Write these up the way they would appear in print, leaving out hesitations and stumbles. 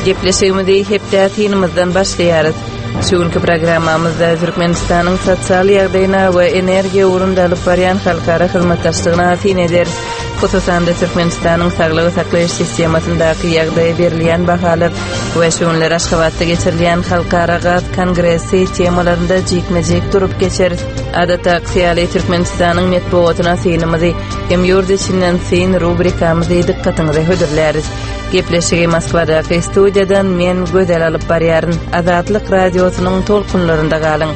Gepleşigimizi hepde synymyzdan başlaýarys. Şu günki programmamyzda Türkmenistanyň sosial ýagdaýyna we energiýa ugrunda alyp barýan halkara hyzmatdaşlygyna syn ederis. Hususan-da Türkmenistanyň saglygy saklaýyş sistemasyndaky ýagdaýa berilýän bahalar we şu günler Aşgabatda geçirilýän Halkara gaz kongresi temalarynda jikme-jik durup geçeris. Adatdaky ýaly Türkmenistanyň metbugatyna synymyzy hem ýurt içinden syn rubrikamyzy dykgatyňyza hödürläris. Gepleşigi Moskwadaky studiýadan men Gözel alyp barýaryn. Azatlyk Radiosynyň tolkunlarynda galyň.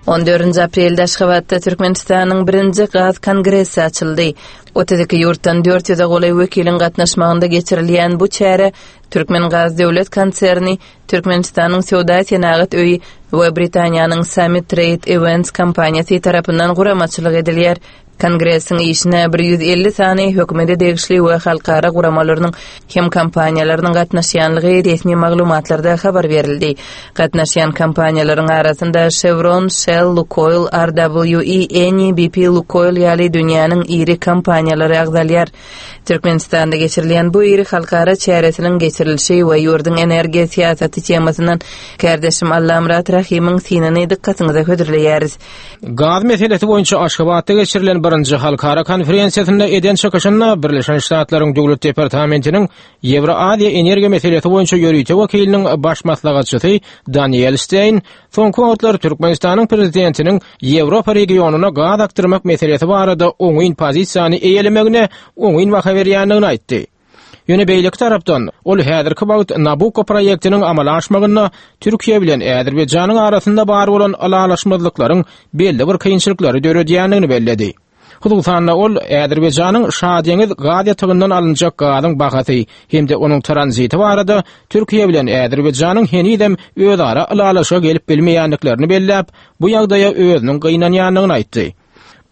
On dördünji aprelde Aşgabatda Türkmenistanyň birinji gaz kongresi açyldy. 32 ýurtdan 400-e golaý wekiliň gatnaşmagynda geçirilýän bu çäre Türkmengaz döwlet konserni, Türkmenistanyň Söwda-senagat öýi we Britaniýanyň Summit Trade Events kompaniýasy tarapyndan guramaçylyk edilýär. Kongresiň işine 150 sany hökümete degişli we halkara guramalarynyň hem kompaniýalarynyň gatnaşýanlygy resmi maglumatlarda habar berildi. Gatnaşýan kompaniýalaryň arasynda Chevron, Shell, Lukoil, RWE, Eni, BP, Lukoil ýaly dünýäniň iri kompaniýalary agzalýar. Türkmenistanda geçirilýän bu iri halkara çäresiniň geçirilişi we ýurduň energiýa syýasaty temasyndan kärdeşim Allamyrat Rahymyň synyny dykgatyňyza hödürleýäris. Gaz meselesi boýunça Aşgabatda geçirilen birinji halkara konferensiýasynda eden çykyşynda Birleşen Ştatlaryň Döwlet departamentiniň Ýewroaziýa energiýa meselesi boýunça ýörite wekiliniň baş maslahatçysy Daniel Steýn soňky wagtlar Türkmenistanyň prezidentiniň Ýewropa regionyna gaz akdyrmak meselesi barada oňyn pozisiýany eýelemegine oňyn baha berýändigini aýtdy. Ýöne beýleki tarapdan, ol häzirki wagt Nabukko proýektiniň amala aşmagynda Türkiýe bilen Azerbaýjanyň arasynda bar bolan ylalaşmazlyklaryň belli bir kynçylyklary döredýändigini belledi. Hususan-da, ol Azerbaýjanyň Şadeňiz gaz ýatagyndan alynjak gazyň bahasy hem-de onuň tranziti barada Türkiýe bilen Azerbaýjanyň henizem özara ylalaşyga gelip bilmeýändiklerini belläp, bu ýagdaýa özüniň gynanýandygyny aýtdy.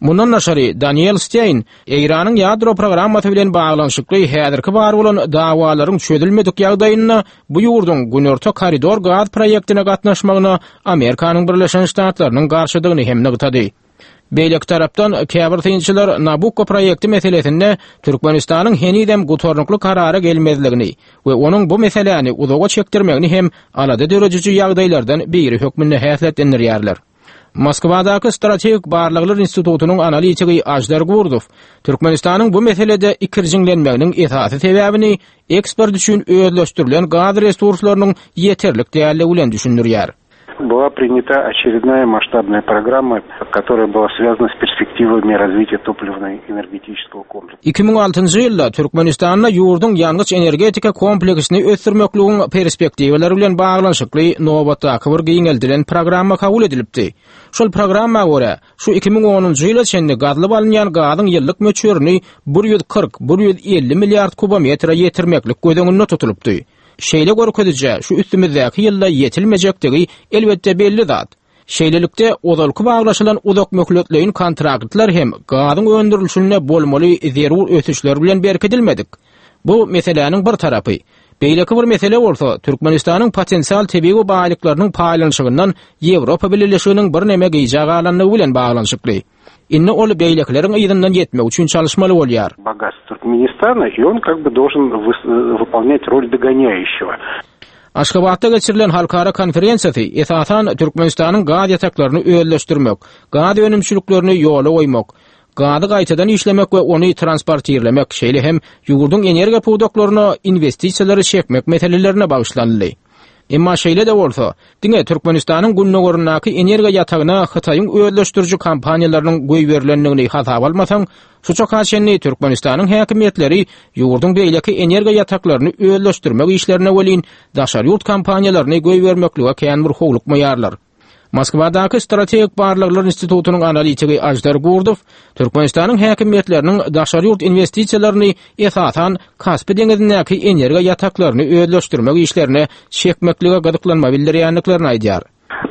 Mundan daşary, Daniel Steýn Eýranyň ýadro programmasy bilen baglanyşykly häzirki bar bolan dawalaryň çözülmedik ýagdaýynda bu ýurduň Günorta koridor gaz proýektine gatnaşmagyna Amerikanyň Birleşen Ştatlarynyň garşydygyny hem nygtady. Beýleki tarapdan, käbir synçylar Nabukko proýekti meselesinde Türkmenistanyň henizem gutarnykly karara gelmezligini we onuň bu meseläni uzaga çekdirmegini hem alada dörediji ýagdaýlardan biri hökmünde häsiýetlendirýärler. Moskwadaky Strategik barlaglar institutynyň analitigi Aždar Gurdow Türkmenistanyň bu meselede ikirjiňlenmeginiň esasy sebäbini eksport üçin özleşdirilen gaz resurslarynyň ýeterlik däldigi bilen düşündirýär. Была принята очередная масштабная программа, которая была связана с перспективами развития топливно-энергетического комплекса. 2006-njy ýylda Türkmenistanda ýurduň ýangyç-energetika kompleksini ösdürmekligiň perspektiwalary bilen baglanyşykly nobatdaky bir giňeldilen programma kabul edilipdi. Şol programma görä, şu 2010-njy ýyla çenli gazylyp alynýan gazyň ýyllyk möçberini 140, 150 milliard kubometre ýetirmeklik göz öňünde tutulypdy. Şeýle görkezijä şu üstümizdäki ýylda ýetilmejekdigi elbetde belli zat. Şeýlelikde, ozalky baglaşylan uzakmöhletleýin kontraktlar hem gazyň öndürilişinde bolmaly zerur ösüşler bilen berkidilmedik. Bu meseläniň bir tarapy. Beýleki bir mesele bolsa, Türkmenistanyň potensial tebigy baýlyklarynyň paýlanyşygyndan Ýewropa Bileleşiginiň birneme gijä galandygy bilen baglanyşykly. Indi ol beýlekileriň yzyndan ýetmek üçin çalyşmaly bolýar. Bogast Türkmenistana i on kak by dolžen wypolnýat rol dogonýaýuşçego. Aşgabatda geçirilen halkara konferensiýasy, esasan, Türkmenistanyň gaz ýataklaryny özleşdirmek, gaz önümçiliklerini ýola goýmak, gazy gaýtadan işlemek we ony transportirlemek, şeýle hem ýurduň energiýa pudaklaryna inwestisiýalary çekmek meselelerine bagyşlanyldy. Emma şeýle-de bolsa, diňe Türkmenistanyň gündogaryndaky energiýa ýatagyna Hytaýyň özleşdiriji kompaniýalarynyň goýberilendigini hasaba almasaň, şu çaka çenli Türkmenistanyň häkimiýetleri ýurduň beýleki energiýa ýataklaryny özleşdirmek işlerine welin daşary ýurt kompaniýalaryny goýbermeklige kän bir howlukmaýarlar. Moskwadaky Strategik barlaglar institutynyň analitigi Aždar Gurdow Türkmenistanyň häkimiýetleriniň daşary ýurt inwestisiýalaryny esasan Kaspi deňizindäki energiýa ýataklaryny özleşdirmek işlerine çekmeklige gyzyklanma bildirýändiklerini aýdýar.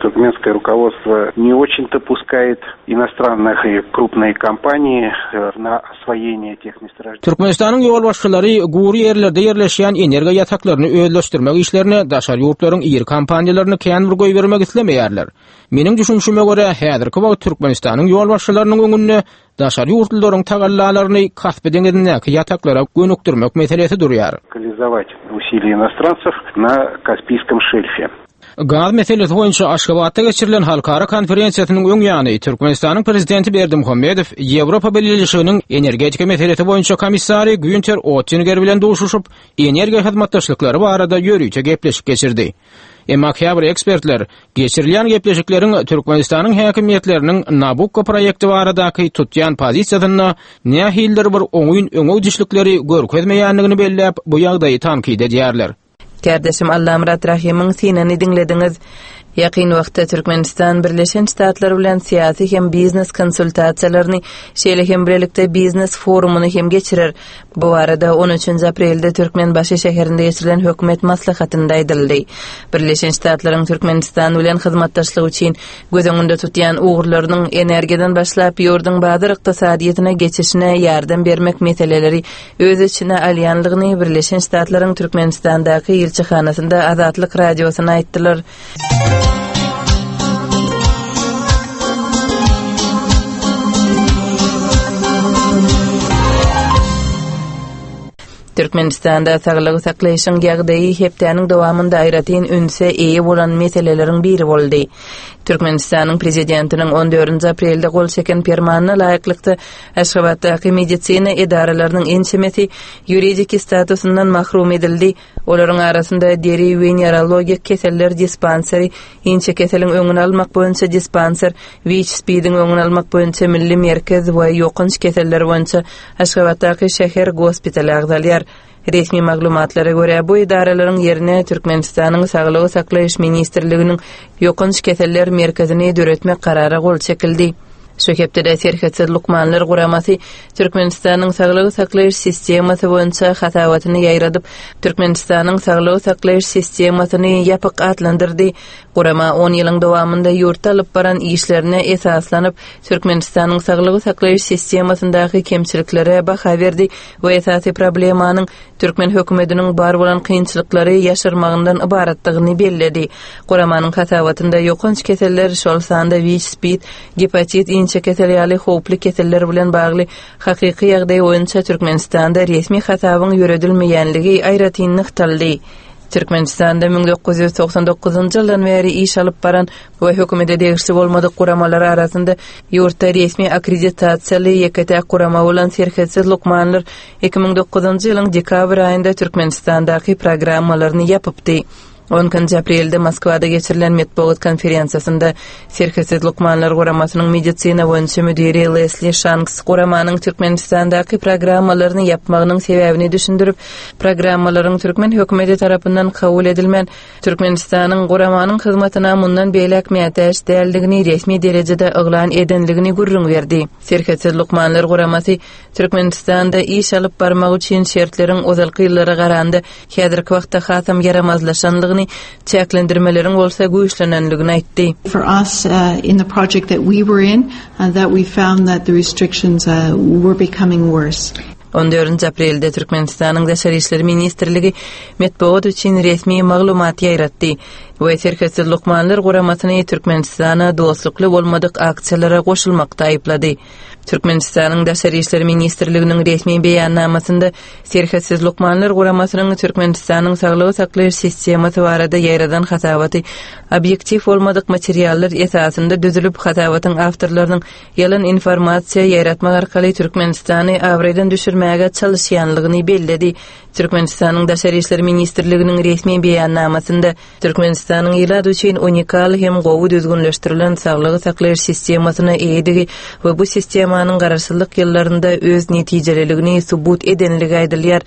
Туркменское руководство не очень-то пускает иностранных и крупные компании э, на освоение тех месторождений. Türkmenistanyň ýolbaşçylary gury ýerlerde ýerleşýän energiýa ýataklaryny özleşdirmek işlerine daşary ýurtlaryň iri kompaniýalaryny kän bir goýbermek islemeýärler. Meniň düşünişime görä, häzirki wagt Türkmenistanyň ýolbaşçylarynyň öňünde daşary ýurtlularyň tagallalaryny Kaspi deňizindäki ýataklara gönükdirmek meselesi durýar. Локализовать усилия иностранцев на Каспийском шельфе. Gaz meselesi boýunça Aşgabatda geçirilen halkara konferensiýasynyň öň ýany Türkmenistanyň Prezidenti Berdimuhamedow Ýewropa Bileleşiginiň energetika meselesi boýunça komissary Günter Ottinger bilen duşuşyp, energiýa hyzmatdaşlyklary barada ýörite gepleşik geçirdi. Emma käbir ekspertler geçirilýän gepleşikleriň Türkmenistanyň häkimiýetleriniň Nabukko proýekti baradaky tutýan pozisiýasynda nähilidir bir oňyn öňegidişlikleri görkezmeýändigini belläp, bu ýagdaýy tankyt edýärler. Kärdeşim Allamyrat Rahymyň synyny diňlediňiz. Ýakyn wagtda Türkmenistan Birleşen Ştatlar bilen syýasy hem biznes konsultasiýalaryny, şeýle hem bilelikde biznes forumyny hem geçirer. Bu barada on üçünji aprelde Türkmenbaşy şäherinde geçirilen hökümet maslahatynda aýdyldy. Birleşen Ştatlaryň Türkmenistan bilen hyzmatdaşlyk üçin göz öňünde tutýan ugurlarynyň energiýadan başlap ýurduň bazar ykdysadyýetine geçişine ýardam bermek meseleleri öz içine alýanlygyny Birleşen Ştatlaryň Türkmenistandaky ilçihanasynda Azatlyk Radiosyna aýtdylar. Türkmenistanda saglygy saklaýşyň ýagdaýy hepdäniň dowamynda aýratyn ünse eýe bolan meseleleriň biri boldy. Türkmenistanyň Prezidentiniň on dördünji aprelde gol çeken Permanyna laýyklykda, Aşgabatdaky medisina edaralarynyň ençemesi ýuridiki statusyndan mahrum edildi. Olaryň arasynda deri wenerologik keseller dispanseri, inçekeseliň öňüni almak boýunça dispanser, WIÇ-SPID-iň öňüni almak boýunça milli merkez we ýokanç keseller boýunça Aşgabatdaky şäher gospitaly agzalýar. Resmi maglumatlara görä, bu edaralaryň ýerine Türkmenistanyň Saglygy saklaýyş ministrliginiň Ýokanç keseller merkezini döretmek karara gol çekildi. Şu hepdede Serhetsiz lukmanlar guramasy Türkmenistanyň saglygy saklaýyş sistemasy boýunça hasabatyny ýaýradyp, Türkmenistanyň saglygy saklaýyş sistemasyny ýapyk atlandyrdy. Gurama on ýylyň dowamynda ýurtda alyp baran işlerine esaslanyp, Türkmenistanyň saglygy saklaýyş sistemasyndaky kemçiliklere baha berdi we esasy problemanyň türkmen hökümetiniň bar bolan kynçylyklary ýaşyrmagyndan ybaratdygyny belledi. Guramanyň hasabatynda ýokanç keseller, şol sanda WIÇ-SPID, gepatit, inçekesel ýaly howply keseller bilen bagly hakyky ýagdaý boýunça Türkmenistanda resmi hasabyň ýöredilmeýänligi aýratyn nygtaldy. Türkmenistanda 1999-njy ýyldan bäri iş alyp baran we hökümete degişli bolmadyk guramalar arasynda ýurtda resmi akkreditasiýaly ýeke-täk gurama bolan Serhetsiz lukmanlar 2009-njy ýylyň dekabr aýynda Türkmenistandaky programmalaryny ýapypdy. On ikinji aprelde Moskwada geçirilen metbugat konferensiýasynda Serhetsiz lukmanlar guramasynyň medisina boýunça müdiri Lesli Şanks guramanyň Türkmenistandaky programmalaryny ýapmagynyň sebäbini düşündirip, programmalaryň türkmen hökümeti tarapyndan kabul edilmän, Türkmenistanyň guramanyň hyzmatyna mundan beýläk mätäç däldigini resmi derejede yglan edenligini gürrüň berdi. Serhetsiz lukmanlar guramasy Türkmenistanda iş alyp barmak üçin şertleriň ozalky ýyllara garanda häzirki wagtda hasam ýaramazlaşanlygyny, çäklendirmeleriň bolsa güýçlenenligini aýtdy. For us in the project that we were in that we found that the restrictions were becoming worse. On dördünji aprelde Türkmenistanyň Daşary işler ministrligi metbugat üçin resmi maglumat ýaýratdy we Serhetsiz lukmanlar guramasyny Türkmenistana dostlukly bolmadyk aksiýalara goşulmakda aýyplady. Türkmenistanyň Daşary işler ministrliginiň resmi beýannamasynda Serhetsiz lukmanlar guramasynyň Türkmenistanyň saglygy saklaýyş sistemasy barada ýaýradan hasabaty obýektiw bolmadyk materiallar esasynda düzülip, hasabatyň awtorlarynyň ýalan informasiýa ýaýratmak arkaly Türkmenistany abraýdan düşürmäge çalyşýanlygyny belledi. Türkmenistanyň Daşary işler ministrliginiň resmi beýannamasynda Türkmenistanyň ilat üçin unikal hem gowy düzgünleşdirilen saglygy saklaýyş sistemasyna eýedigi we bu sistemanyň garaşsyzlyk ýyllarynda öz netijeliligini subut edenligi aýdylýar.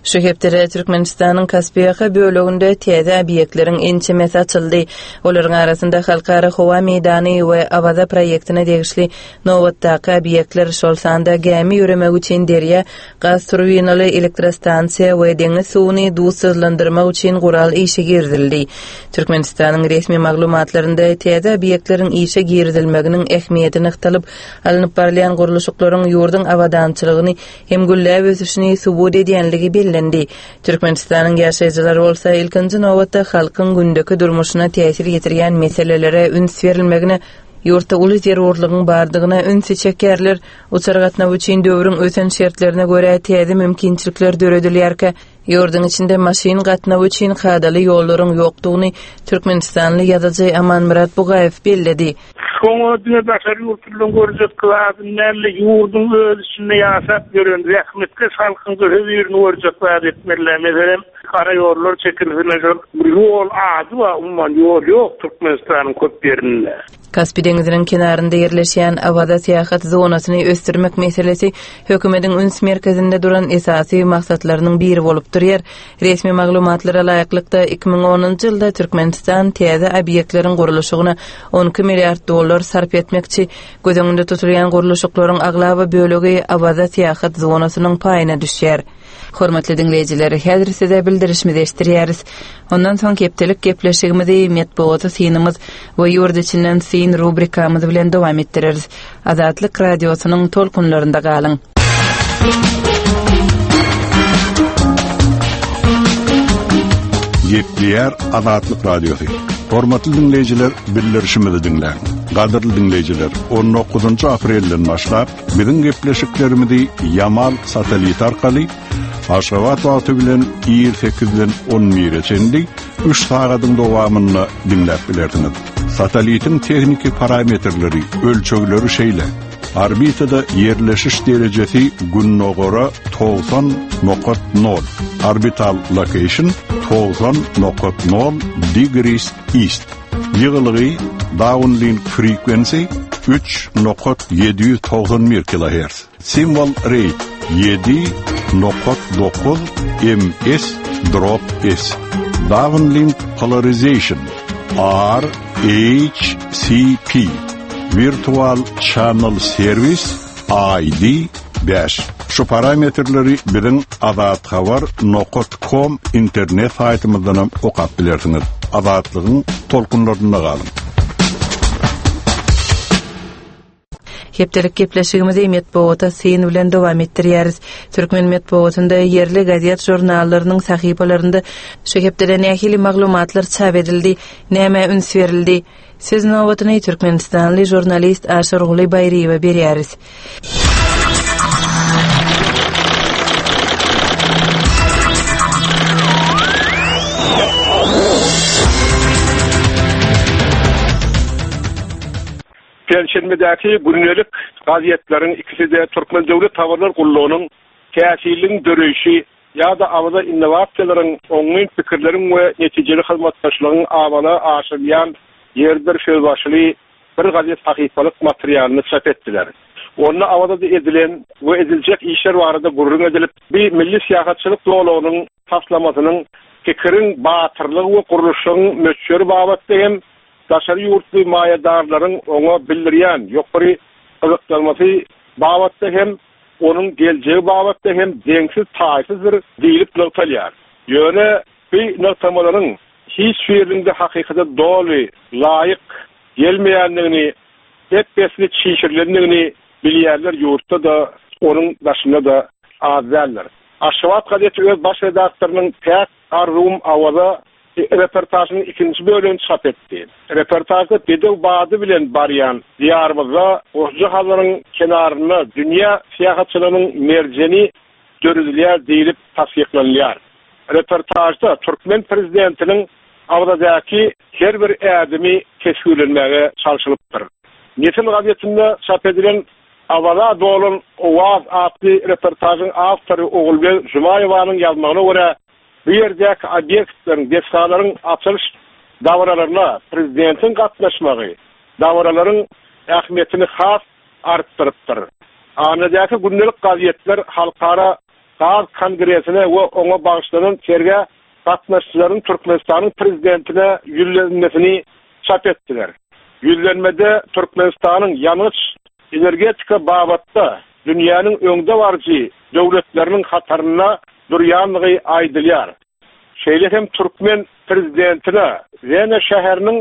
Şu hepdede Türkmenistanyň Kaspiýaka böleginde täze obýektleriň ençemesi açyldy. Olaryň arasynda Halkara howa meýdany we Awaza proýektine degişli nobatdaky obýektler, şol sanda gämi ýöremegi üçin derýa, gaz turbinaly elektrostansiýa we deňiz suwuny duzsuzlandyrmak üçin gural işe girizildi. Türkmenistanyň resmi maglumatlarynda täze obýektleriň işe girizilmeginiň ähmiýeti nygtalyp, alnyp barylýan gurluşyklaryň ýurduň abadançylygyny hem gülläp ösüşini subut edýänligi bellendi. Türkmenistanyň ýaşaýjylary bolsa ilkinji nobatda halkyň gündeki durmuşyna täsir ýetirýän meselelere üns berilmegine, ýurtda uly zerurlygyň bardygyna ünsi çekýärler. Uçar gatnawy üçin döwrüň ösen şertlerine görä täze mümkinçilikler döredilýärkä, ýurduň içinde maşyn gatnawy üçin kadaly ýollaryň ýokdugyny türkmenistanly ýazyjy Amanmyrat Bugaýew belledi. Şoňa diňe daşary ýurtlylaryň görjek zadyny däl-de, ýurduň öz içinde ýaşap ýören zähmetkeş halkyň-da hözirini görjek zat etmeli-dä. Meselem, gara ýollar çekilsin, şol bir ýol ady bar, umuman ýol ýok Türkmenistanyň köp ýerinde. Kaspi deňziniň kenarynda ýerleşýän Awaza syýahat zonasyny ösdürmek meselesi hökümetiň üns merkezinde duran esasy maksatlarynyň biri bolup durýar. Resmi maglumatlara laýyklykda, 2010-njy ýylda Türkmenistan täze obýektleriň gurluşygyna 12 milliard dollar sarp etmekçi. Göz öňünde tutulýan gurluşyklaryň aglaba bölegi Awaza syýahat zonasynyň paýyna düşýär. Hormatly diňleýjiler, häzir size bildirişimizi eşitdirýäris. Ondan soň hepdelik gepleşigimizi metbugata synymyz we ýurt içinden syn rubrikamyz bilen dowam etdireris. Azatlyk Radiosynyň tolkunlarynda galyň! Gepleýär Azatlyk Radiosy. Hormatly diňleýjiler, bildirişimizi diňläň. Gadyrly diňleýjiler, 19 aprelden başlap biziň gepleşiklerimizi Ýamal sateliti arkaly Aşgabat wagty bilen ir 8-den 11-e çenli 3 sagadyň dowamynda diňläp bilersiňiz. Satellitiň tehniki parametrleri, ölçegleri şeýle. Orbitada ýerleşiş derejesi gündogara 90 nokat nol, orbital location 90 nokat nol degrees east. Ýygylygy, downlink frequency, üç nokat 791 kilohertz. Simwol rate ýedi nokat dokuz ms drop s. Downlink polarization R H C P Virtual Channel Service ID bäş. Şu parametrleri biziň azathabar nokat kom internet saýtymyzdanam okap bilersiňiz. Azatlygyň tolkunlarynda galyň! Hepdelik gepleşigimizi metbugata syn bilen dowam etdirýäris. Türkmen metbugatynda ýerli gazet-žurnallarynyň sahypalarynda şu hepdede nähili maglumatlar çap edildi, nämä üns berildi? Söz nobatyny türkmenistanly žurnalist Aşyrguly Baýryýewe berýäris. Penşenbedäki gündelik gazetleriň ikisi-de Türkmen döwlet habarlar gullugynyň Täsirligiň döreýşi ýa-da Awaza innowasiýalaryň, oňyn pikirleriň we netijeli hyzmatdaşlygyň amala aşyrylýan ýeridir sözbaşyly bir gazet sahypalyk materialyny çap etdiler. Onda Awazada edilen we ediljek işler barada gürrüň edilip, bi milli syýahatçylyk zolagynyň taslamasynyň pikiriň batyrlygy we gurluşygyň möçberi babatda hem daşary ýurtly maýadarlaryň oňa bildirýän ýokary gyzyklanmasy babatda hem, onuň geljegi babatda hem deňsiz-taýsyzdyr diýlip nygtalýar. Ýöne bu nygtamalaryň hiç biriniň-de hakykata doly laýyk gelmeýändigini, ep-esli çişirilendigini bilýänler ýurtda-da, onuň daşynda-da az däldir. Aşgabat gazeti öz baş redaktorynyň Päk arzuwym Awaza reportažynyň ikinji bölegini çap etdi. Reportažda bedew bady bilen barýan Diýarymyzda goşja Hazaryň kenarynda dünýä syýahatçylygynyň merjeni döredilýär diýlip tassyklanylýar. Reportažda türkmen prezidentiniň Awazadaky her bir ädimi teswirlenmäge çalşylypdyr. Nesil gazetinde çap edilen Awaza dolan owaz atly reportažyň awtory Ogulbeg Jumaýewanyň ýazmagyna görä, Bu ýerdäki obýektleriň, desgalaryň açylyş dabaralaryna prezidentiň gatnaşmagy dabaralaryň ähmiýetini has artdyrypdyr. Annadäki gündelik gazetler halkara. gaz kongresine we oňa bagyşlanan sergä gatnaşyjylaryň Türkmenistanyň Prezidentine ýüzlenmesini çap etdiler. Ýüzlenmede Türkmenistanyň ýangyç-energetika babatda dünýäniň öňdebaryjy döwletleriniň hatarynda durýandygy aýdylýar. Şeýle hem türkmen Prezidentine Wena şäheriniň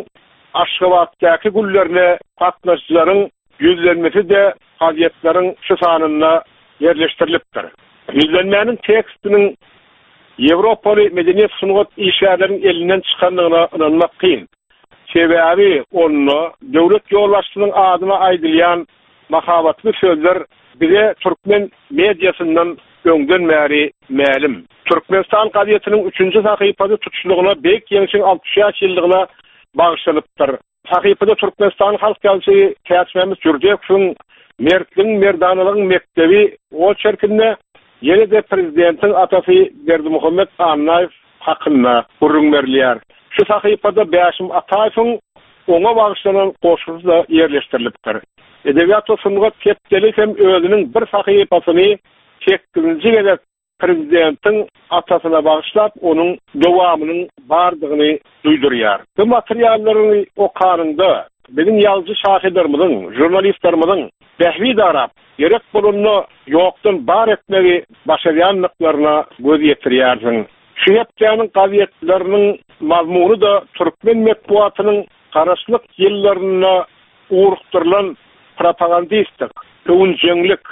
Aşgabatdaky günlerine gatnaşyjylaryň ýüzlenmesi-de gazetleriň şu sanynda ýerleşdirilipdir. Ýüzlenmäniň tekstiniň ýewropaly medeniýet-sungat işgärleriniň elinden çykandygyna ynanmak kyn. Sebäbi onda döwlet ýolbaşçysynyň adyna aýdylýan mahabatly sözler bize türkmen mediasyndan öňden bäri mälim. Türkmenistan gazetiniň üçünji sahypasy tutuşlygyna Beýik Ýeňşiň 65 ýyllygyna bagyşlanypdyr. Sahypada Türkmenistanyň halk ýazyjysy Täçmämmet Jürdekowyň Mertligiň, merdanalygyň mekdebi oçerkinde ýene-de prezidentiň atasy Berdimuhamet Annaýew hakynda gürrüň berilýär. Şu sahypada Bäşim Ataýewiň oňa bagyşlanan goşgusy-da ýerleşdirilipdir. Edebiýat we sungat hepdeligi hem özüniň bir sahypasyny sekizinji gezek prezidentiň atasyna bagyşlap, onuň dowamynyň bardygyny duýdurýar. Bu materiallary okanyňda, biziň ýazyjy-şahyrlarymyzyň, žurnalistlerimiziň bähbit arap, gerek bolanda ýokdan bar etmegi başarýandyklaryna göz ýetirýärsiň. Şu hepdäniň gazetleriniň mazmuny-da türkmen metbugatynyň garaşlyk ýyllarynda ugrukdyrylan propagandistik, öwünjeňlik,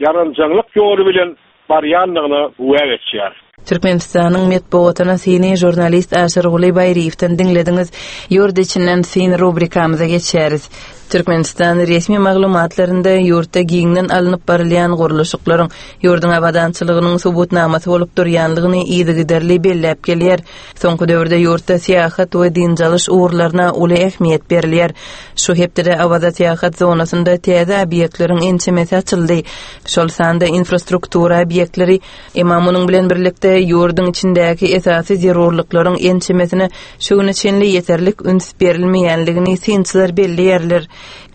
ýaranjaňlyk ýoly bilen barýandygyna güwä geçýär. Türkmenistanyň metbugatyna syny žurnalist Aşyrguly Baýryýewden diňlediňiz. Ýurt içinden syn rubrikamyza geçýäris. Türkmenistan resmi maglumatlarynda ýurtda giňden alnyp barylýan gurluşyklaryň ýurduň abadançylygynyň subutnamasy bolup durýandygyny yzygiderli belläp gelýär. Soňky döwürde ýurtda syýahat we dynç alyş ugurlaryna uly ähmiýet berilýär. Şu hepdede Awaza syýahat zonasynda täze obýektleriň ençemesi açyldy. Şol sanda infrastruktura obýektleri, emma munuň bilen birlikde ýurduň içindäki esasy zerurlyklaryň ençemesine şu güne çenli ýeterlik üns berilmeýänligini synçylar belleýärler.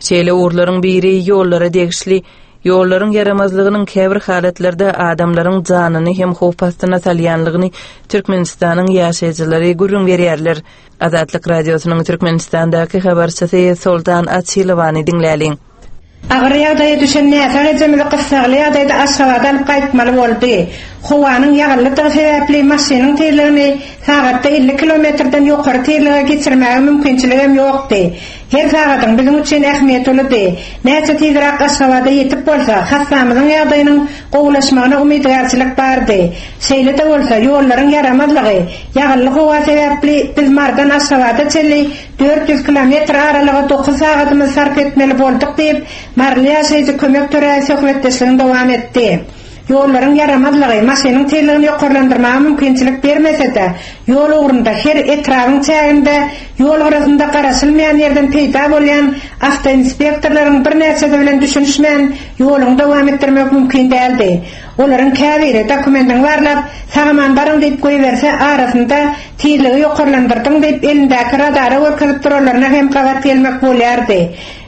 Şeýle ugurlaryň biri ýollara degişli. Ýollaryň ýaramazlygynyň käbir halatlarda adamlaryň janyny hem howp astyna salýanlygyny Türkmenistanyň ýaşaýjylary gürrüň berýärler. Azatlyk Radiosynyň Türkmenistandaky habarçysy Soltan Açylowany diňläliň. Agyr ýagdaýa düşen näsag ejemizi gyssagly ýagdaýda Aşgabada alyp gaýtmaly boldy. Howanyň ýagynlydygy sebäpli maşynyň tizligini sagatda 50 kilometrden ýokary tizlige geçirmäge mümkinçiligem ýokdy. Her sagadyň biziň üçin ähmiýeti uludy. Näçe tizräk Aşgabada ýetip bolsa, hassamyzyň ýagdaýynyň gowulaşmagyna umydygärçilik bardy. Şeýle-de bolsa, ýollaryň ýaramazlygy, ýagynly howa sebäpli biz Marydan Aşgabada çenli 400 kilometr aralyga dokuz sagadymyzy sarp etmeli bolduk diýip, maryly ýaşaýjy Kömek Töräýew söhbetdeşligini dowam etdi. Ýollaryň ýaramazlygy maşynyň tizligini ýokarlandyrmaga mümkinçilik bermese-de, ýol ugrunda her etrabyň çäginde ýol gyrasynda garaşylmaýan ýerden peýda bolýan awtoinspektorlaryň birnäçesi bilen düşünişmän ýoluňy dowam etdirmek mümkin däldi. Olaryň käbiri dokumendiňi barlap, sag-aman baryň diýip goýberse, arasynda tizligi ýokarlandyrdyň diýip elindäki radara görkezip duranlaryna hem gabat gelmek bolýardy.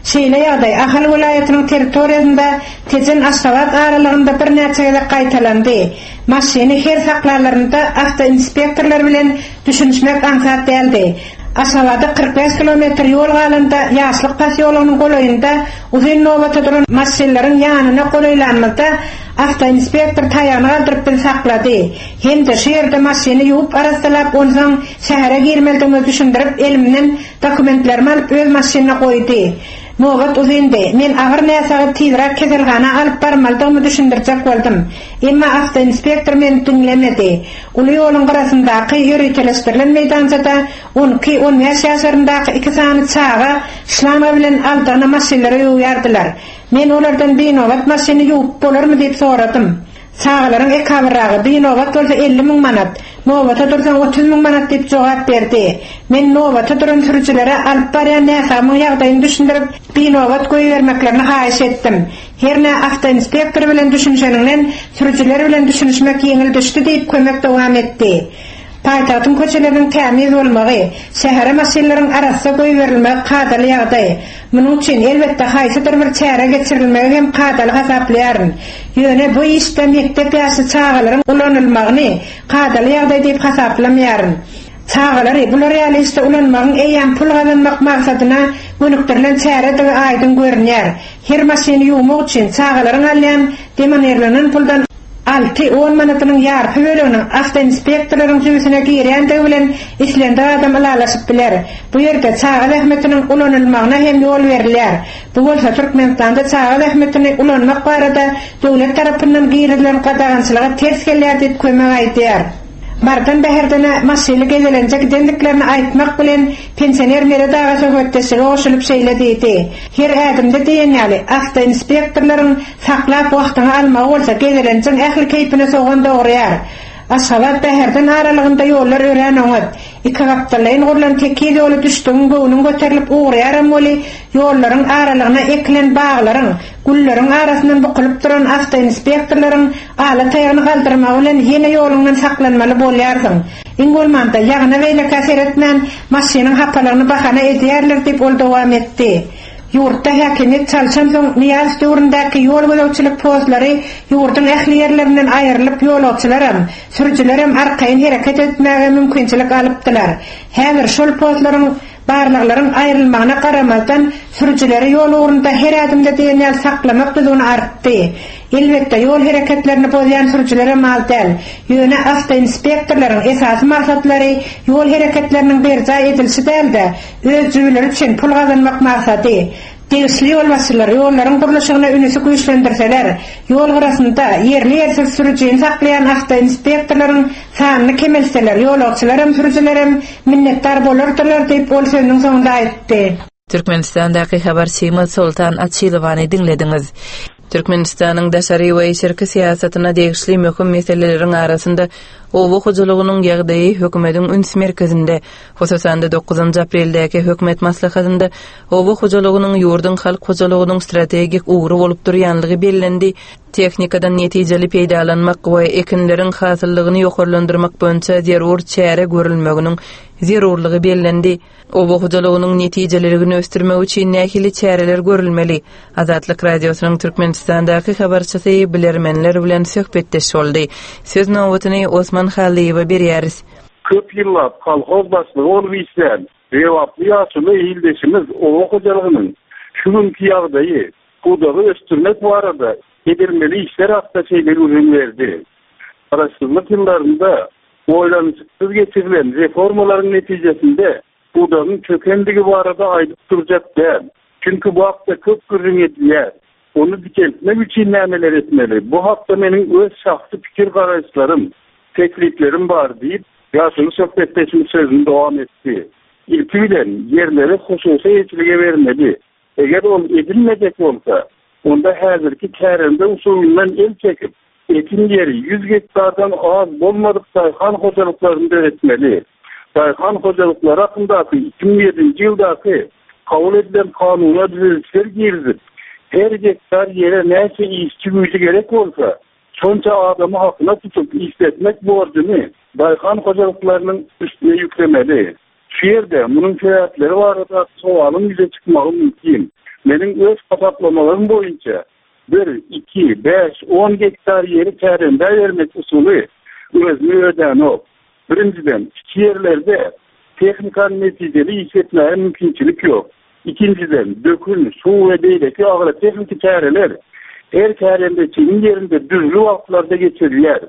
Şeýle ýagdaý Ahal welaýatynyň territoriýasynda Tejen-Aşgabat aralygynda birnäçe gezek gaýtalandy. Maşyny her saklanlarynda awtoinspektorlar bilen düşünişmek aňsat däldi. Aşgabada 45 kilometr ýol galanda Ýaşlyk posýologynyň golaýynda uzyn nobata duran maşynlaryň ýanyna golaýlanymyzda awtoinspektor taýagyny galdyryp bizi saklady hem-de şu ýerde maşyny ýuwup arassalap onsoň şähere girmelidigimizi düşündirip elimden Dokumentlerimi alyp öz maşynyna goýdy. Nobat uzyndy. Men agyr näsagy tizräk keselhana alyp barmalydygymy düşündirjek boldum. Emma awtoinspektor meni diňlemedi. Uly ýoluň gyrasyndaky ýöriteleşdirilen meýdançada on iki, on bäş ýaşlaryndaky iki sany çaga şlanga bilen aldygyna maşynlary ýuwýardylar. Men olardan binobat maşyny ýuwup bolarmy diýip soradym. Çagalaryň ekabyrragy, binobat bolsa 50 müň manat, nobata dursaň 30 müň manat diýip jogap berdi. Men nobata duran sürüjilere alyp barýan näsagymyň ýagdaýyny düşündirip, binobat goýbermeklerini haýyş etdim. Hernä awtoinspektor bilen düşünişeniňden, sürüjiler bilen düşünişmek ýeňil düşdi diýip, Kömek dowam etdi. Paýtagtyň köçeleriniň tämiz bolmagy, şähere maşynlaryň arassa goýberilmegi kadaly ýagdaý. Munuň üçin, elbetde, haýsydyr bir çäre geçirilmegi hem kadaly hasaplaýaryn. Ýöne bu işde mekdep ýaşly çagalaryň ulanylmagyny kadaly ýagdaý diýip hasaplamaýaryn. Çagalary bular ýaly işde ulanmagyň eýýäm pul gazanmak maksadyna gönükdirilen çäredigi aýdyň görünýär. Her maşyny ýuwmak üçin çagalaryň alýan demonirlenen puldan alty, on manadynyň ýarpy böleginiň awtoinspektorlaryň jübüsine girýändigi bilen islendik adam ylalaşyp biler. Bu ýerde çaga zähmetiniň ulanylmagyna hem ýol berilýär. Bu bolsa Türkmenistanda çaga zähmetini ulanmak barada döwlet tarapyndan girizilen gadagançylyga ters gelýär diýip, Kömek aýdýar. Marydan Bäherdene maşynly gezelenje gidendiklerini aýtmak bilen, pensioner Meret aga söhbetdeşlige goşulyp şeýle diýdi, Her ädimde diýen ýaly, awtoinspektorlaryň saklap wagtyňy almagy bolsa gezelenjiň ähli keýpine sogan dograýar. Aşgabat-Bäherden aralygynda ýollar örän oňat. Ikigapdallaýyn gurlan tekiz ýola düşdügiň göwnüň göterilip ugraýaram weli, ýollaryň aralygyna ekilen baglaryň, gülleriň arasyndan bukulyp duran awtoinspektorlaryň ala taýagyny galdyrmagy bilen ýene ýoluňdan saklanmaly bolýarsyň. Iň bolmanda, ýagyna-beýlekä seretmän, maşynyň hapalygyny bahana edýärler diýip, ol dowam etdi. Ýurtda häkimiýet çalşansoň, Nyýazow döwründäki ýol gözegçilik postlary ýurduň ähli ýerlerinden aýrylyp, ýolagçylaram, sürüjilerem arkaýyn hereket etmäge mümkinçilik alypdylar. Häzir şol postlaryň Barlaglaryň aýrylmagyna garamazdan, sürüjileri ýol ugrunda her ädimde diýen ýaly saklamak düzgüni artdy. Elbetde, ýol hereketlerini bozýan sürüjilerem az däl. Ýöne awtoinspektorlaryň esasy maksatlary ýol hereketleriniň berjaý edilişi däl-de, öz jübüleri üçin pul gazanmak maksady. Degişli ýolbaşçylar ýollaryň gurluşygyna ünüsi güýçlendirseler, ýol gyrasynda ýerli-ýersiz sürüjini saklaýan awtoinspektorlaryň sanyny kemeltseler, ýolagçylaram, sürüjilerem minnetdar bolardylar diýip, ol sözüniň soňunda aýtdy. Türkmenistandaky habarçymyz Soltan Açylowany diňlediňiz. Türkmenistanyň daşary we içerki syýasatyna degişli möhüm meseleleriň arasynda oba hojalygynyň ýagdaýy hökümetiň üns merkezinde. Hususan-da, dokuzynjy apreldäki hökümet maslahatynda Oba hojalygynyň ýurduň halk hojalygynyň strategik ugry bolup durýanlygy bellendi, tehnikadan netijeli peýdalanmak we ekinleriň hasyllygyny ýokarlandyrmak boýunça zerur çäre görülmeginiň zerurlygy bellendi. Oba hojalygynyň netijeliligini ösdürmek üçin nähili çäreler görülmeli? Azatlyk Radiosynyň Türkmenistandaky habarçysy bilermenler bilen söhbetdeş boldy. Söz nobatyny Osman Hallyýewe berýäris. Köp ýyllap kolhoz başlygy bolup işlän Lebaply ýaşuly ildeşimiz oba hojalygynyň şu günki ýagdaýy, pudagy ösdürmek barada edilmeli işler hakda şeýle gürrüň berdi, Garaşsyzlyk ýyllarynda oýlanyşyksyz geçirilen reformalaryň netijesinde pudagyň çökendigi barada aýdyp durjak däl. Çünki bu hakda köp gürrüň edilýär. Ony dikeltmek üçin nämeler etmeli? Bu hakda meniň öz şahsy pikir-garaýyşlarym, tekliplerim bar diýip, ýaşuly söhbetdeşimiz sözüni dowam etdi. Ilki bilen, ýerleri hususy eýeçilige bermeli. Eger ol edilmejek bolsa, onda häzirki kärende usulyndan el çekip, Ekin ýeri 100 gektardan az bolmadyk daýhan hojalyklaryny döretmeli. Daýhan hojalyklary hakyndaky 2007-nji ýyldaky kabul edilen kanuna düzedişler girizip, her gektar ýere näçe işçi güýji gerek bolsa, şonça adamy hakyna tutup işletmek borjuny daýhan hojalyklarynyň üstüne ýüklemeli. Şu ýerde munuň sebäpleri barada sowalyň ýüze çykmagy mümkin. Meniň öz hasaplamalarym boýunça, Bir, iki, bäş, on gektar ýeri kärendä bermek usuly özüni ödänok. Birinjiden, kiçi ýerlerde tehnikany netijeli işletmäge mümkinçilik ýok. Ikinjiden, dökün, suw we beýleki agrotehniki çäreler her kärendeçiniň ýerinde dürli wagtlarda geçirilýär.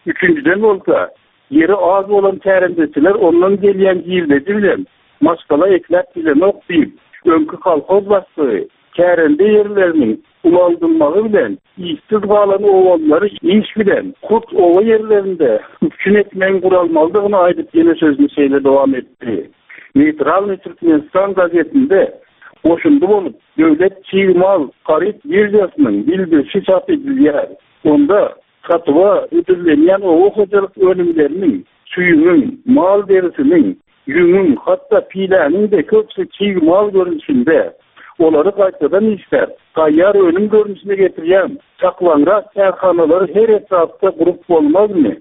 Üçünjiden bolsa, Ýeri az bolan kärendeçiler ondan gelýän girdeji bilen maşgala ekläp bilenok diýip, öňki kolhoz başlygy kärende ýerleriniň ulaldylmagy bilen işsiz galan obalylary iş bilen hut oba ýerlerinde üpjün etmegiň guralmalydygyny aýdyp ýene sözüni şeýle dowam etdi. Neýtralnyý Türkmenistan gazetinde goşundy bolup Döwlet çig mal haryt biržasynyň bildirişi çap edilýär. Onda Satuwa hödürlenýän oba hojalyk önümleriniň, süýümiň, mal derisiniň, ýüňüň, hatda piläniň-de köpüsi çig mal görnüşinde. Olary gaýtadan işläp, taýýar önüm görnüşine getirýän çaklaňrak kärhanalary her etrapda gurup bolmazmy?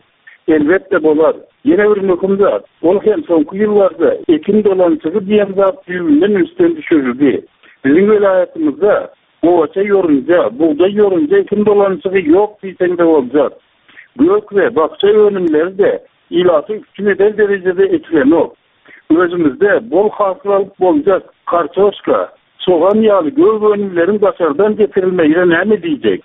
Elbetde bolar. Ýene bir möhüm zat, ol hem soňky ýyllarda ekin dolanyşygy diýen zat düýbünden ünsden düşürildi. Biziň welaýatymyzda gowaça ýorunja, bugdaý ýorunja ekin dolanyşygy ýok diýseň-de boljak. Gök we bakja önümleri-de ilaty üpjün eder derejede ekilenok. Özümizde bol hasyl alyp boljak kartoşka, sogan ýaly gök önümleriň daşardan getirilmegine näme diýjek?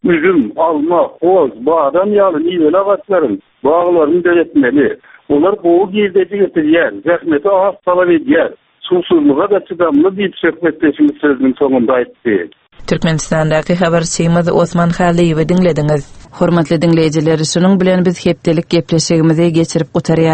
Üzüm, alma, hoz, badam ýaly miweli agaçlaryň baglaryny döretmeli. Olar gowy girdeji getirýär, zähmeti az talap edýär, suwsuzlyga-da çydamly diýip, söhbetdeşimiz sözüniň soňunda aýtdy. Türkmenistandaky habarçymyz Osman Hallyýewi diňlediňiz. Hormatly diňleýjiler, şunuň bilen biz hepdelik gepleşigimizi geçirip gutarýarys.